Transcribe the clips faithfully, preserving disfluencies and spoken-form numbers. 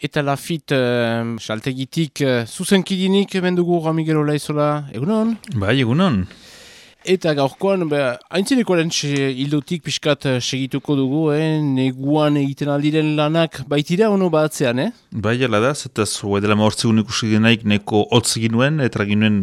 Eta Lafit uh, saltegitik uh, zuzenkidinik mendugu Ramigel Olaizola, egunon? Bai, egunon. Eta gaurkoan, haintzinekoaren hildotik pixkat segituko dugu, eh? Neguan egiten aldiren lanak baitira ono batzean, eh? Bai, ala da, zetaz, hoa dela maortzi unik usik denaik neko hotz ginuen, eta ginuen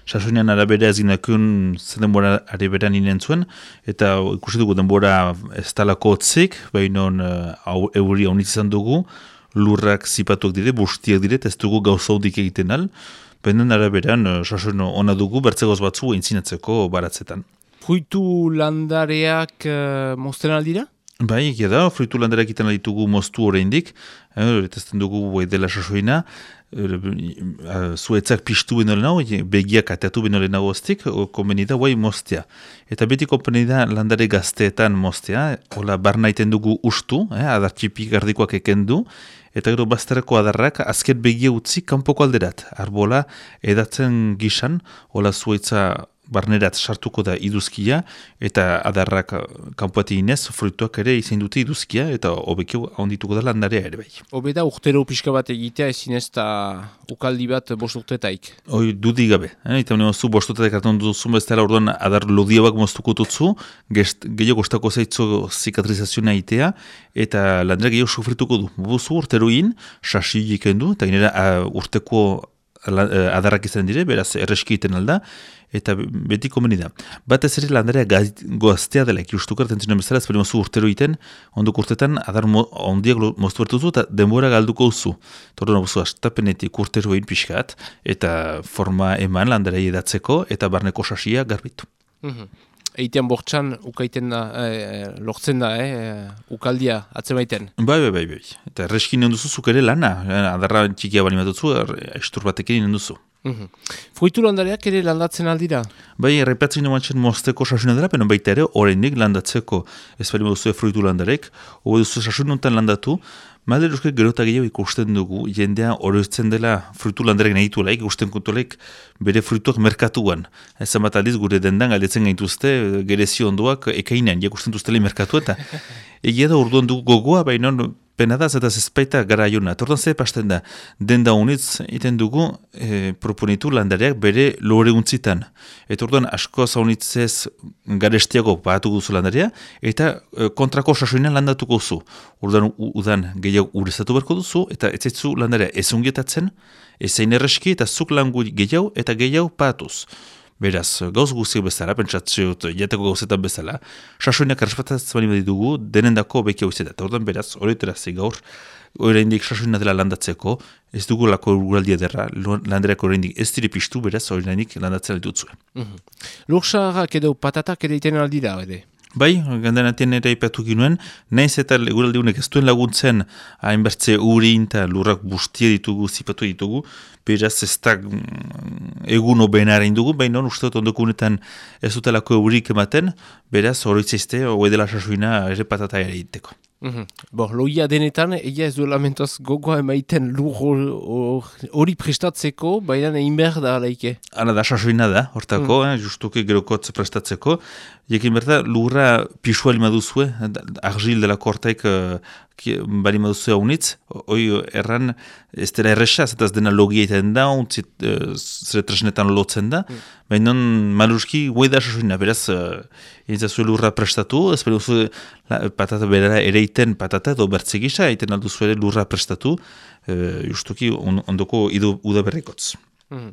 sasoinean arabera ez ginakun zen denbora araberan inen zuen, eta ikusi dugu denbora ez talako hotzik, baina uh, euri haunitz izan dugu, lurrak zipatuak dire, bustiak dire, ez dugu gauzaudik egiten al, baina araberan uh, sasoin ona dugu, bertzegoz batzu eintzinatzeko baratzetan. Fruitu landareak uh, mozten aldira? Bai, egia da, fruitu landareak iten alditugu moztu horreindik, horretazten dugu bai dela sasoina, zuetzak piztu beno lehenago, begiak ateatu beno lehenago oztik, konbeni da, guai moztea. Eta beti konbeni da landare gazteetan moztea, hola barnaiten dugu ustu, eh, adartxipi gardikoak ekendu, eta gero bazterako adarrak azken begia utzi kanpoko alderat. Arbola edatzen gisan, hola zuetza barnerat sartuko da iduzkia, eta adarrak kanpoati inez, fruituak ere izan dute iduzkia, eta hobekio handituko da landarea ere bai. Hobe da urtero pixka bat egitea ezin ez da ukaldi bat bost urtetaik. Hoi, dudik gabe. Eh? Eta honi mozu bost urtetaik hartan duzun bezala orduan adar lodiabak moztuko tutzu, gehiago gostako zaitzo zikatrizazioa itea, eta landera gehiago sufrituko du. Buzu urteroin, sasi ikendu, eta ginera urteko adarrak izan dire, beraz erreski iten alda, eta beti komeni da. Bat ez ere landarea goaztea dela, ikustuk hartzen zinen bezala, ez bali mozu urtero iten, ondok urtetan adar mo, ondiak moztu bertuzu, eta denbora galduko uzu. Tordo nabuzu, astapenetik urteroin pixkat, eta forma eman landarea edatzeko, eta barneko sasia garbitu. Mm-hmm. Eitean bortxan, ukaiten da, eh, lortzen da, eh, ukaldia atzemaiten. Bai, bai, bai, bai. Eta erreskin duzu zuk ere lana, adarra txikia bali matutzu, estur batekin duzu. Mm-hmm. Fruitu landareak ere landatzen aldira? Bai, errepatzen nomatzen mozteko sasuna dela, peno baita ere, horrendik landatzeko ez bali duzu fruitu landarek, hori duzu sasununtan landatu, Malde euskak gerota gehiago ikusten dugu, jendea oroitzen dela fruitu landarek nahi duela, ikusten kuntolek bere fruituak merkatuan. Ezan bat aldiz gure dendan galdetzen gaituzte, gerezio ondoak ekainan, ikusten duztele merkatu eta egia da orduan dugu gogoa, baina penadaz eta zezpaita gara jona. Tortan ze pasten da, denda honitz iten dugu e, proponitu landareak bere lore untzitan. Eta orduan asko zaunitzez garestiago bahatu duzu landarea, eta e, kontrako sasoinan landatuko zu. Orduan udan gehiago urezatu berko duzu, eta ez zaitu landarea ezungietatzen, ezein erreski eta zuk langu gehiago eta gehiago patuz. Beraz, gauz guziak bezala, pentsatzeot, jateko gauzetan bezala, sasoinak errespatatzen bali dugu, denendako bekia uizeta. Eta orduan beraz, horretarazi gaur, oraindik sasoina dela landatzeko, ez dugu lako uraldia derra, landerako oraindik ez dire piztu, beraz, oraindik landatzen aldutzue. Mm-hmm. Lurxarrak edo patatak ere iten aldira, ere? Bai, gandanatien ere ipatu ginuen, nahiz eta uraldiunek ez duen laguntzen hainbertze urin eta lurrak bustia ditugu, zipatu ditugu, beraz ez da egun obenara indugu, baina uste dut ondokunetan ez dutelako eurik ematen, beraz horitzizte, hoi dela sasoina ere patata ere iteko. Mm-hmm. Bo, loia denetan, egia ez du lamentoz gogoa emaiten lur hori prestatzeko, baina egin behar da alaike. Hala da, sasoina da, hortako, mm. eh, justuke gerokotz prestatzeko, jekin berda, lurra pisua lima duzue, argil dela kortaik uh, bali maduzue haunitz, hoi erran ez dela erresa, zetaz dena logia iten da, untzit uh, zere tresnetan lotzen da, mm. baina maluski guai da sasoina, beraz, uh, entzazue lurra prestatu, ez bali duzue patata berara ere iten patata edo bertzegisa, iten alduzu ere lurra prestatu, uh, justuki on, ondoko idu udaberrikotz. Mm.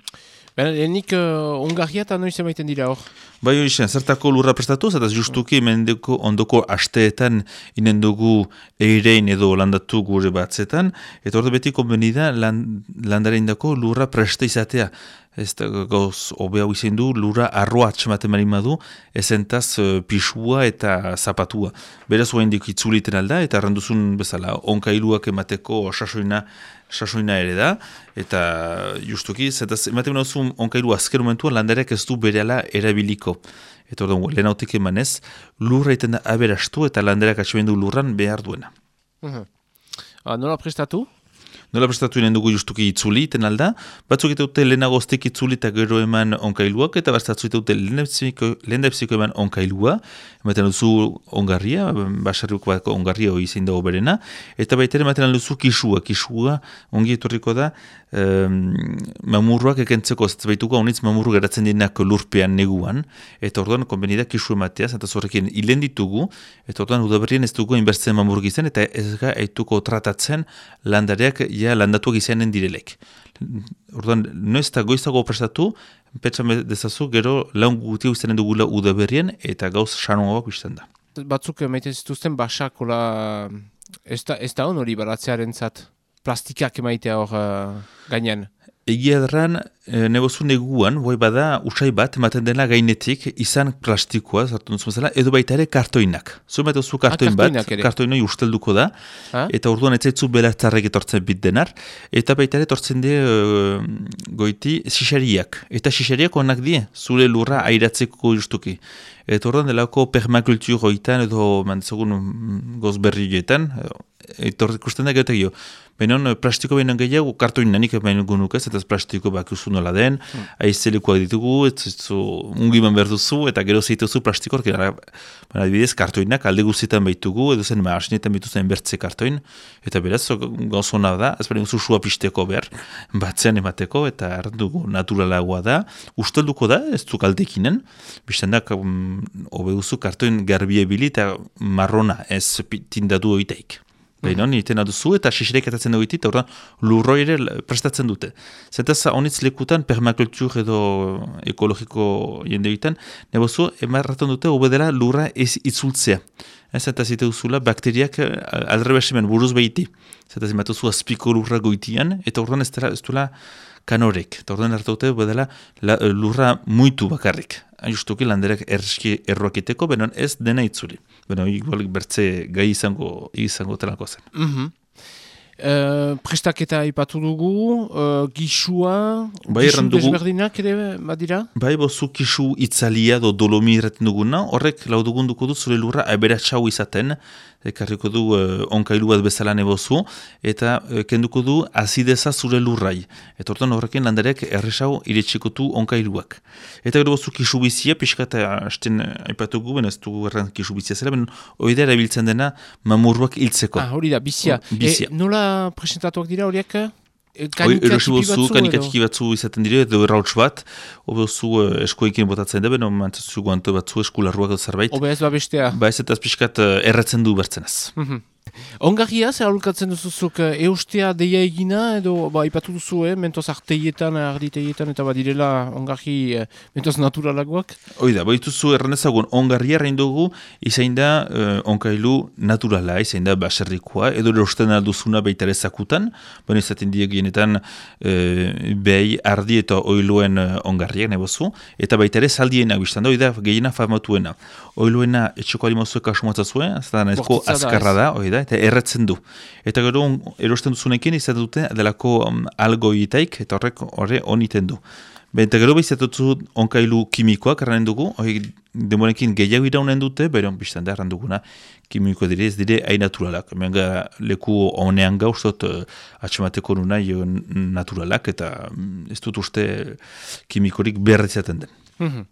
Baina, enik uh, ongarria eta noiz emaiten dira hor? Bai hori zen, zertako lurra prestatu, zataz justuki mendeko ondoko asteetan inen dugu eirein edo landatu gure batzetan, eta hor beti konbeni da land, landaren dako lurra presta izatea. Ez da gauz obea izan du, lurra arroa atxematen marin madu, ezentaz uh, pisua eta zapatua. Beraz hoa indik itzuliten alda, eta arranduzun bezala, onkailuak emateko sasoina, sasoina ere da, eta justuki, zentaz ematen behar onkailu azken momentua landareak ez du berehala erabiliko. Eta orduan, lehen hautik emanez, lurra iten da aberastu eta landareak atxemendu lurran behar duena. Uh-huh. Ah, nola prestatu? Nola prestatu inen dugu justuki itzuli, iten alda, batzuk eta dute lehenago oztek itzuli eta gero eman onkailuak, eta batzuk eta dute lehendabiziko eman onkailua, ematen duzu ongarria, basarruko bat ongarria hori zein dago berena, eta baita ere ematen duzu kisua, kisua ongi etorriko da, um, mamurruak ekentzeko, zbaituko honitz mamurru geratzen dienak lurpean neguan, eta orduan konbenida kisu ematea, zenta zorrekin hilen ditugu, eta orduan udaberrien ez dugu inbertzen mamurruk izan, eta ez ga eituko tratatzen landareak ja landatuak izanen direlek. Orduan, noiz eta goizago prestatu, petxan dezazu, gero laun gutia izanen dugula udaberrien, eta gauz sanoagoak izan da. Batzuk emaiten zituzten basakola, ez da, ez da hon hori baratzearen zat, plastikak emaitea hor uh, gainean. Egia erran, e, nebozu neguan, boi bada, usai bat, ematen dela gainetik, izan plastikoa, zartu duzu bezala, edo baita ere kartoinak. Zu ematen zu kartoin bat, kartoinoi ustelduko da, ha? Eta orduan ez zaitzu belartzarrek etortzen bit denar, eta baita ere etortzen die e, goiti xixariak. Eta xixariak onak die, zure lurra airatzeko justuki. Eta orduan delako permakultur hoitan, edo mantzagun gozberrietan, etor ikusten da gehiago. Benon, plastiko behinan gehiago, kartoin nanik behin gunuk ez, eta plastiko bakiuzu nola den, hmm. aizelekoak ditugu, ez zu ungiman behar duzu, eta gero zeituzu plastikoak, baina adibidez, kartoinak alde guztietan behitugu, edo zen maasinetan behitu zen bertze kartoin, eta beraz, gauzona da, ez behin guzu sua pisteko behar, batzean emateko, eta errandugu naturalagoa da, ustelduko da, ez du kaldekinen, biztendak, um, obe duzu kartoin garbie bili, eta marrona ez tindatu oitaik. Baina honi iten aduzu eta xixirek etatzen dugu eta orduan lurroi ere prestatzen dute. Zentaz honitz lekutan permakultur edo ekologiko jende egiten, nebozu emarraten dute obedela lurra ez itzultzea. Zentaz ite duzula bakteriak aldrebesimen buruz behiti. Zentaz ematuzu azpiko lurra goitian eta orduan ez duela kanorek. Eta orduan hartu dute obedela lurra muitu bakarrik. Justuki landerek erreski erroakiteko, benon ez dena itzuli. Beno, igual bertze gai izango, izango telako zen. Mm-hmm. Uh, prestaketa ipatu dugu, uh, gisua, bai, gisu desberdinak ere badira? Bai, bozu gisu itzalia do dolomi irretin duguna, horrek laudugun duko du zure lurra aberatxau izaten, ekarriko du uh, onkailu bat bezala nebozu, eta uh, kenduko du azideza zure lurrai. Eta orduan horrekin landarek erresau iretsikotu onkailuak. Eta gero bozu gisu bizia, pixka eta hasten aipatugu, ben ez dugu erran gisu bizia zela, ben oidea erabiltzen dena mamurruak hiltzeko. Ah, hori da, bizia. O, bizia. E, nola presentatuak dira horiek? Erosi bozu, kanikatiki batzu izaten dire, edo errauts bat, obe ozu eskoekin botatzen da, beno mantzazu guante batzu eskularruak edo zerbait. Obe ez babestea. Ba ez eta azpiskat erratzen du bertzenaz. Mm-hmm. Ongarria, zer aholkatzen duzuzuk, eustea deia egina, edo ba, ipatu duzu, eh, mentoz arteietan, arditeietan, eta badirela ongarri eh, mentoz naturalagoak? Oida, baituzu erranezagun, ongarria errain dugu, izain da uh, onkailu naturala, izain da baserrikoa, edo erosten alduzuna baitare zakutan, baina izaten diegienetan uh, behi, ardi eta oiluen uh, ongarriak nebozu, eta baitare saldiena biztan da, oida, gehiena famatuena. Oiluena etxeko alimozuek asumatza zuen, zeta nezko azkarra da, oida, eta erretzen du. Eta gero erosten duzunekin izaten dute delako um, algoitaik, eta horrek horre oniten du. Eta gero behizatutzu onkailu kimikoak erranen dugu, hori demorekin gehiago iraunen dute, beren biztan da erran duguna kimiko dire, ez dire hain naturalak. Hemen ga leku honean gauzot uh, atxemateko nuna naturalak, eta um, ez dut uste kimikorik berretzaten den. Mm-hmm.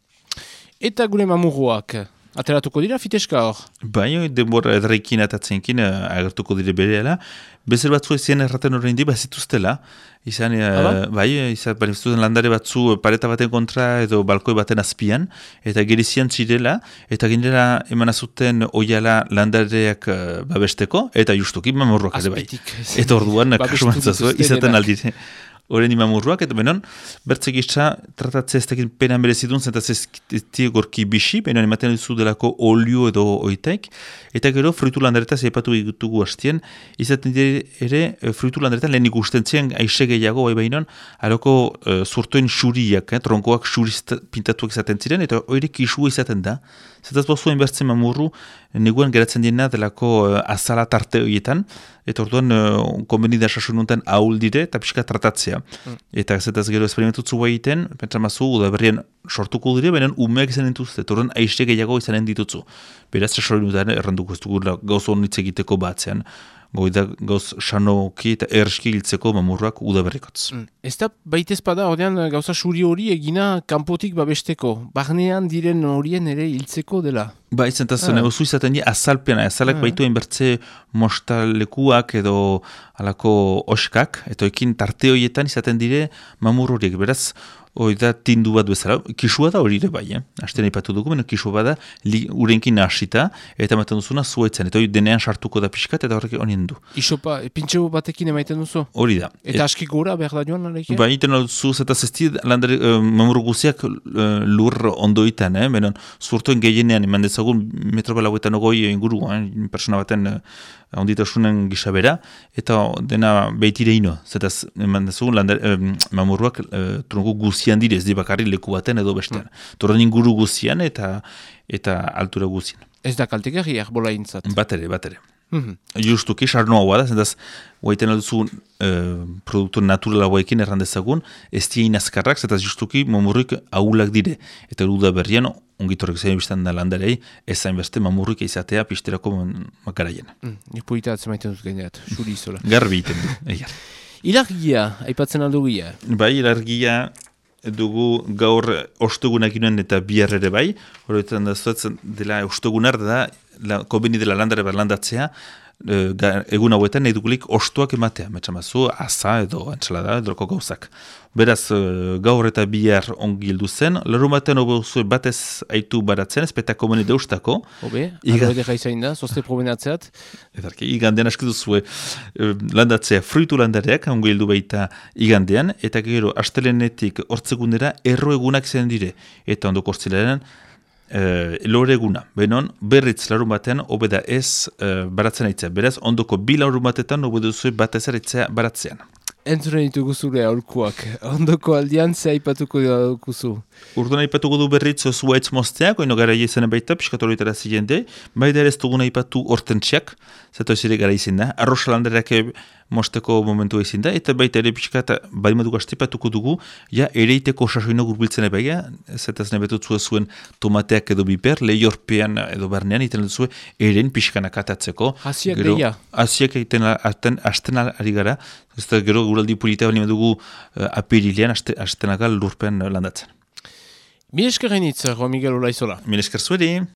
Eta gure mamurruak? Ateratuko dira fiteska hor? Bai, denbora edrekin atatzenkin uh, agertuko dire bereala. Bezer batzu ezien erraten horrein di, bazituztela. Izan, uh, bai, izan, banifzuten landare batzu pareta baten kontra edo balkoi baten azpian, eta gerizian zirela, eta ginera eman azuten oiala landareak uh, babesteko, eta justuki mamorroak ere bai. Eta orduan, kasuantzazu, izaten aldire. Horen imamurruak, eta benon, bertze gizta tratatzea ez tekin penan berezidun, zentaz ez gorki bixi, benon ematen duzu delako olio edo oitaik, eta gero fruitu landaretaz epatu egutugu hastien, izaten dire ere fruitu landaretan lehen ikusten zien aixe gehiago, bai behinon, aloko uh, zurtoen xuriak, eh, tronkoak xuriz pintatuak izaten ziren, eta hori kisua izaten da. Zentaz bozuen bertzen mamurru, neguen geratzen diena delako uh, azala tarte horietan, eta orduan uh, konbenida sasununtan ahul dire, eta pixka tratatzea. Mm. Eta zetaz gero esperimentutzu egiten, pentsamazu, udaberrien sortuko dire, benen umeak izanen dituzte, eta orduan aixe gehiago izanen ditutzu. Beraz, sasununtan erranduko ez dugu gauzo honitz egiteko batzean. goida gauz sanoki eta erski hiltzeko mamurrak udaberrikotz. Mm. Ez da baitezpada ordean gauza suri hori egina kanpotik babesteko, barnean diren horien ere hiltzeko dela. Ba, izan taz, ah. negozu izaten di azalpena, azalak ah. baitu enbertze mostalekuak edo alako oskak, eta ekin tarte horietan izaten dire mamur horiek, beraz, hori da tindu bat bezala, kisua da hori ere bai, eh? Asten ipatu dugu, beno kisua bada li, urenkin nahasita, eta ematen duzuna zuetzen, eta hori denean sartuko da pixkat, eta horrek honien du. Isopa, pintxo batekin emaiten duzu? Hori da. Eta et, aski gora behar da joan, aleike? Ba, iten duzu, eta zesti, landare, uh, mamur guziak uh, lur ondoitan, eh? Beno, zurtoen gehienean, eman dezagun, metro balauetan ogoi inguru, eh? Persona baten uh, onditasunen gisabera, eta dena behitire ino, zetaz, eman dezagun, landare, uh, mamurruak uh, trungu guzian direz, di bakarri leku baten edo bestean. Mm. Torren inguru guzian eta eta altura guzian. Ez da kaltegarri arbola intzat? Batere, batere. Mm-hmm. Justuki, sarnoa hua da, zentaz, guaiten alduzu uh, produktu naturala guaikin errandezagun, ez dien azkarrak, zentaz justuki mamurrik ahulak dire. Eta duda berrian, ongitorrek zain biztan da landarei, ez zain beste mamurrik izatea pisterako makaraien. Mm. Ipuita atzemaiten dut gaineat, suri izola. Garbi iten du, egar. Ilargia, aipatzen aldugia? Bai, ilargia dugu gaur ostegunak inoen eta bihar ere bai, horretan da zuetzen dela ostegunar da, la, kobeni dela landare berlandatzea, e, egun hauetan nahi dugulik ostuak ematea, metxamazu, asa edo antxalada edo gauzak. Beraz, gaur eta bihar ongi hildu zen, larun batean hobe zuen batez aitu baratzen, ez petako meni deustako. Hobe, Iga... alo edera izain da, zozte probenatzeat. Edarki, igandean askidu zuen landatzea fruitu landareak, ongi hildu baita igandean, eta gero, astelenetik hortzegundera erro egunak zen dire, eta ondoko hortzilaren, Uh, lore eguna, benon, berritz larun batean, obeda ez uh, baratzen aitzea. Beraz, ondoko bi larun batetan, obeda zuen bat ezaritzea baratzean. Entzuren ditugu zure aurkuak. Ondoko aldian, ze aipatuko duzu? Urduna aipatuko du berritz zuaitz mozteak, oino gara izan baita, piskatoroitara ziren de, baita ere ez duguna aipatu hortentziak, zato ez ere gara izin da, arrosalanderak mosteko momentua izin da, eta baita ere piskata baimadu gaztipatuko dugu, ja ereiteko sasoino gurbiltzen ebaia, zetaz nebetutzu zuen tomateak edo biper, lehiorpean edo barnean, iten duzu eren piskanak atatzeko. Hasiak deia? Hasiak egiten asten ari gara, ez da gero guraldi pulita bani dugu uh, apirilean astenagal lurpean landatzen. Mil esker gainitz, Juan Miguel Olaizola. Mil esker zuedi.